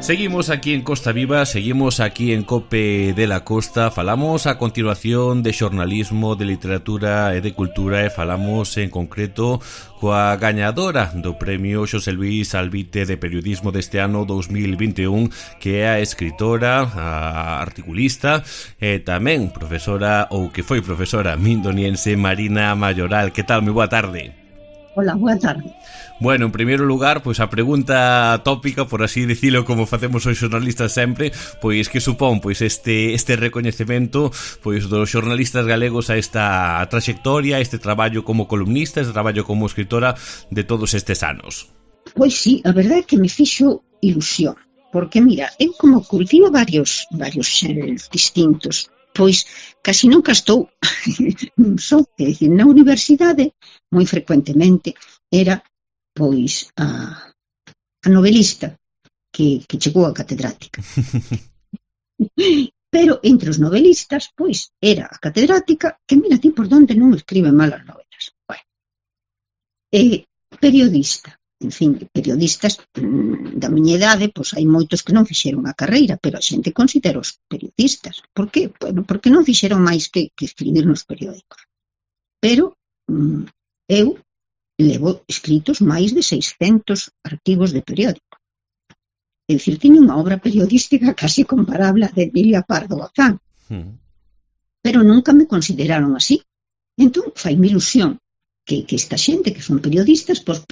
Seguimos aquí en Costa Viva, seguimos aquí en Cope de la Costa. Falamos a continuación de xornalismo, de literatura e de cultura, e falamos en concreto coa gañadora do premio Xosé Luís Albite de periodismo deste ano 2021, que é a escritora, a articulista e tamén profesora, ou que foi profesora mindoniense, Marina Mayoral. Que tal? Moi boa tarde. Hola, boa tarde. Bueno, en primeiro lugar, pois a pregunta tópica, por así dicilo, como facemos os xornalistas sempre, pois que supón pois este recoñecemento pois dos xornalistas galegos a esta trayectoria, a este traballo como columnista, este traballo como escritora de todos estes anos. Pois sí, a verdade é que me fixo ilusión, porque mira, eu como cultivo varios xéneros distintos, pois casi nunca estou só, é dicir, na universidade moi frecuentemente era pois a novelista que chegou a catedrática. Pero entre os novelistas, pois, era a catedrática que mira ti por donde non escribe mal as novelas. Bueno, periodista, en fin, periodistas da miña idade, pois hai moitos que non fixeron a carreira, pero a xente considera os periodistas. Por que? Bueno, porque non fixeron máis que escribir nos periódicos. Pero eu levo escritos máis de 600 artigos de periódico. É dicir, tiño unha obra periodística casi comparable a de Emilia Pardo Bazán. Pero nunca me consideraron así. Entón, faime ilusión que esta xente que son periodistas, pois,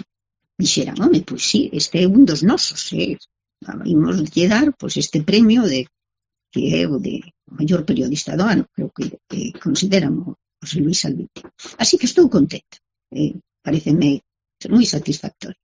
dixeran, home, pois sí, este é un dos nosos, imos lle dar, pois, este premio que é o de maior periodista do ano, creo que consideran o José Luís Albite. Así que estou contenta. Pareceme moi satisfactorio.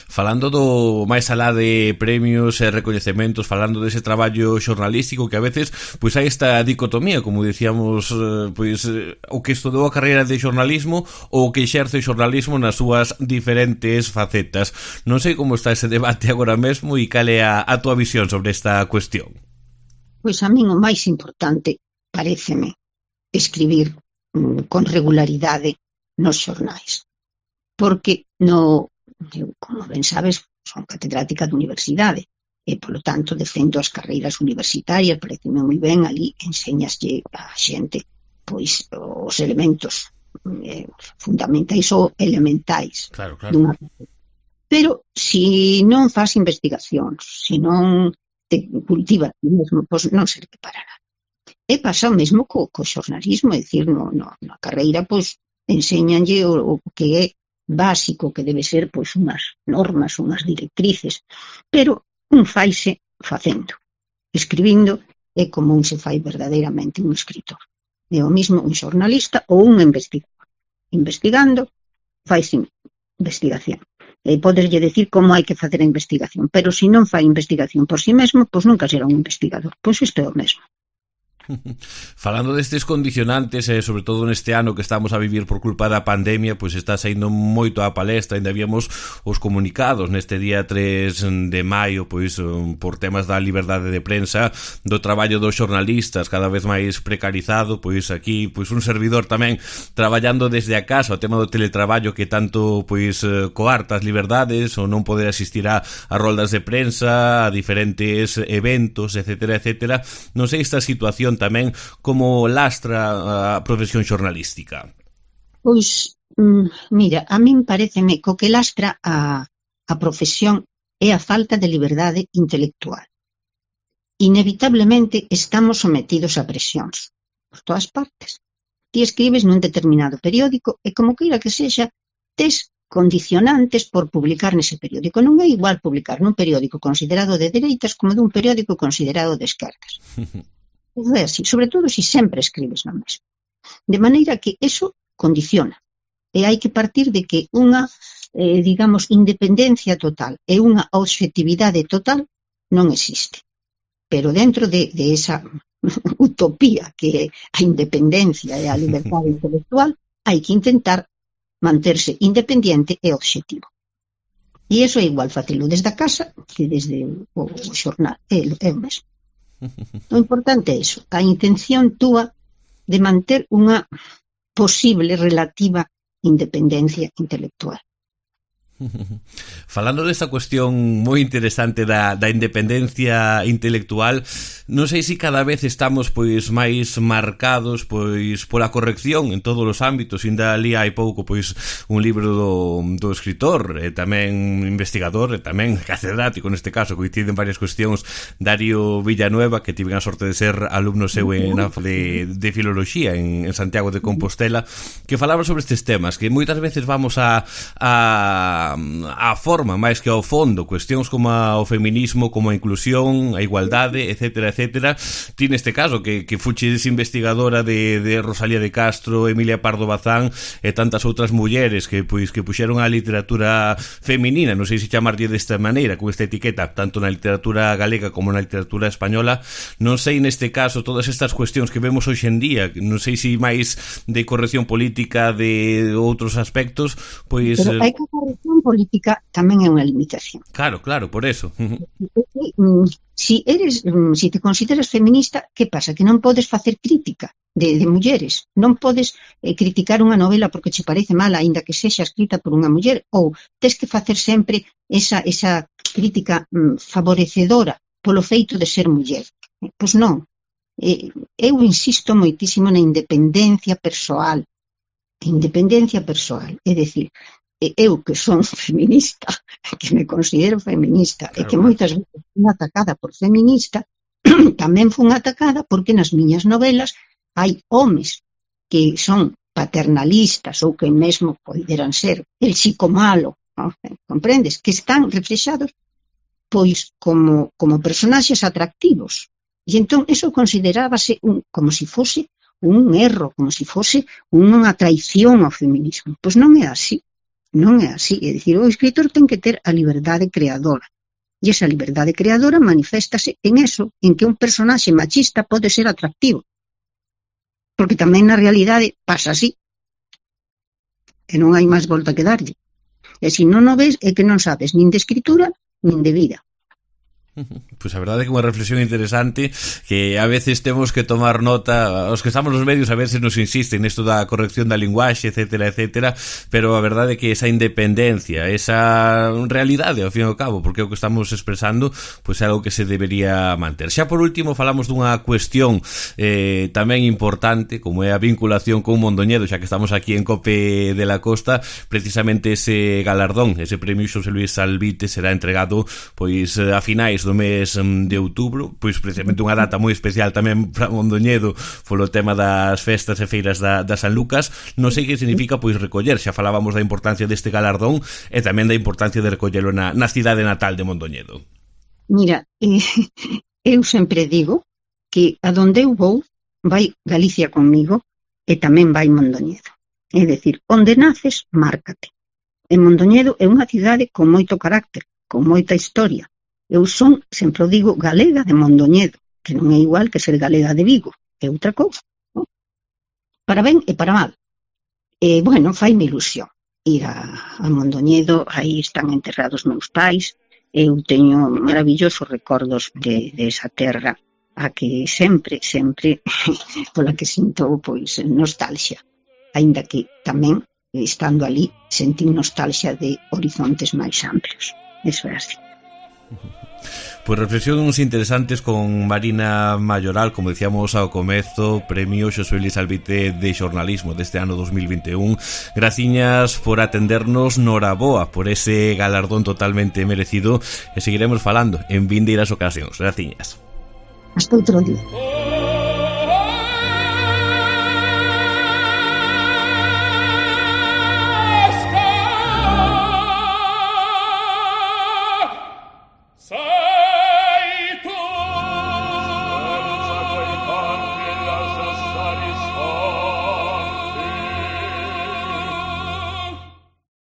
Falando do máis alá de premios e recoñecementos, falando dese traballo xornalístico que a veces pois hai esta dicotomía, como dicíamos, pois o que estudou a carreira de xornalismo ou o que exerce o xornalismo nas súas diferentes facetas. Non sei como está ese debate agora mesmo e cal é a túa visión sobre esta cuestión. Pois a min o máis importante paréceme escribir con regularidade nos xornais, porque eu, como ben sabes, son catedrática de universidade e, polo tanto, defendo as carreiras universitarias, pareceme moi ben, ali enseñaslle a xente pois os elementos fundamentais ou elementais. Claro. Pero se non faz investigacións, se non te cultivas ti mesmo, pois non serve para nada. E pasa o mesmo co xornalismo, é dicir, na carreira, pois, enséñanlle o que é básico, que debe ser pois unhas normas, unhas directrices, pero un faise facendo, escribindo, é como un se fai verdadeiramente un escritor. É o mismo un xornalista ou un investigador. Investigando, faise investigación. E podeslle decir como hai que facer a investigación, pero se non fai investigación por si mesmo, pois nunca será un investigador. Pois isto é o mesmo. Falando destes condicionantes, sobre todo neste ano que estamos a vivir por culpa da pandemia, pois está saindo moito a palestra. Ainda habíamos os comunicados neste día 3 de maio, pois por temas da liberdade de prensa, do traballo dos xornalistas cada vez máis precarizado, pois aquí pois un servidor tamén traballando desde a casa, o tema do teletraballo que tanto pois coarta as liberdades, ou non poder asistir a roldas de prensa, a diferentes eventos, etcétera. Non sei esta situación tamén como lastra a profesión xornalística. Pois, mira, a min pareceme que o que lastra a profesión é a falta de liberdade intelectual. Inevitablemente estamos sometidos a presións por todas partes. Ti escribes nun determinado periódico e como queira que sexa, tes condicionantes por publicar nese periódico. Non é igual publicar nun periódico considerado de dereitas como dun periódico considerado de esquerdas. É así, sobre todo se sempre escribes no mesmo. De maneira que eso condiciona. E hai que partir de que unha, digamos, independencia total e unha obxectividade total non existe. Pero dentro de esa utopía que é a independencia e a liberdade intelectual, hai que intentar manterse independiente e obxectivo. E iso é igual facelo desde a casa que desde o xornal. É o mesmo. O importante é iso, a intención túa de manter unha posible relativa independencia intelectual. Falando desta cuestión moi interesante da independencia intelectual, non sei se cada vez estamos pois máis marcados pois pola corrección en todos os ámbitos. Inda ali hai pouco pois un libro do escritor e tamén investigador e tamén catedrático neste caso, coinciden varias cuestións, Darío Villanueva, que tiven a sorte de ser alumno seu de filoloxía en Santiago de Compostela, que falaba sobre estes temas, que moitas veces vamos a forma máis que ao fondo, cuestións como o feminismo, como a inclusión, a igualdade, etcétera, etcétera. Ti neste caso que fuches investigadora de Rosalía de Castro, Emilia Pardo Bazán e tantas outras mulleres que puxeron a literatura feminina, non sei se chamarlle desta maneira, con esta etiqueta, tanto na literatura galega como na literatura española. Non sei neste caso todas estas cuestións que vemos hoxe en día, non sei se máis de corrección política, de outros aspectos, pois... Pero hai que a corrección política tamén é unha limitación. Claro, por eso. Si te consideras feminista, que pasa? Que non podes facer crítica de mulleres. Non podes criticar unha novela porque che parece mala, aínda que sexa escrita por unha muller, ou tes que facer sempre esa crítica favorecedora polo feito de ser muller. Pois non. Eu insisto moitísimo na independencia persoal. É dicir, eu que son feminista, que me considero feminista, claro, e que moitas veces fui atacada por feminista, tamén fun atacada porque nas miñas novelas hai homes que son paternalistas ou que mesmo poderan ser el chico malo, ¿no? Comprendes? Que están reflexados pois como personaxes atractivos. E entón eso considerábase como se fose un erro, como se fose unha traición ao feminismo. Pois non é así. Non é así, é dicir, o escritor ten que ter a liberdade creadora. E esa liberdade creadora maniféstase en eso, en que un personaxe machista pode ser atractivo. Porque tamén na realidade pasa así. E non hai máis volta que darlle. E se non o ves é que non sabes nin de escritura nin de vida. Pois a verdade é que é unha reflexión interesante que a veces temos que tomar nota, os que estamos nos medios a veces nos insisten nesto da corrección da linguaxe, etcétera, etcétera, pero a verdade é que esa independencia, esa realidade ao fin e ao cabo, porque é o que estamos expresando, pois é algo que se debería manter. Xa por último falamos dunha cuestión tamén importante, como é a vinculación con Mondoñedo, xa que estamos aquí en Cope de la Costa. Precisamente ese galardón, ese premio Xosé Luis Albite será entregado pois a finais do mes de outubro, pois precisamente unha data moi especial tamén para Mondoñedo polo tema das festas e feiras da San Lucas. Non sei que significa pois recoller, xa falábamos da importancia deste galardón e tamén da importancia de recollelo na cidade natal de Mondoñedo. Mira, eu sempre digo que a donde eu vou vai Galicia conmigo e tamén vai Mondoñedo. É dicir, onde naces, márcate. E Mondoñedo é unha cidade con moito carácter, con moita historia. Eu son, sempre o digo, galega de Mondoñedo, que non é igual que ser galega de Vigo, é outra cousa, non? Para ben e para mal. E, bueno, faime ilusión ir a Mondoñedo, aí están enterrados meus pais, eu teño maravillosos recordos de esa terra a que sempre, pola que sinto, pois, nostalgia, aínda que tamén, estando ali, sentín nostalgia de horizontes máis amplios. Eso é así. Pois reflexións interesantes con Marina Mayoral, como decíamos ao comezo, premio Xosé Luis Albite de xornalismo deste ano 2021. Graciñas por atendernos, noraboa por ese galardón totalmente merecido e seguiremos falando en vindeiras ocasións. Graciñas. Hasta outro día.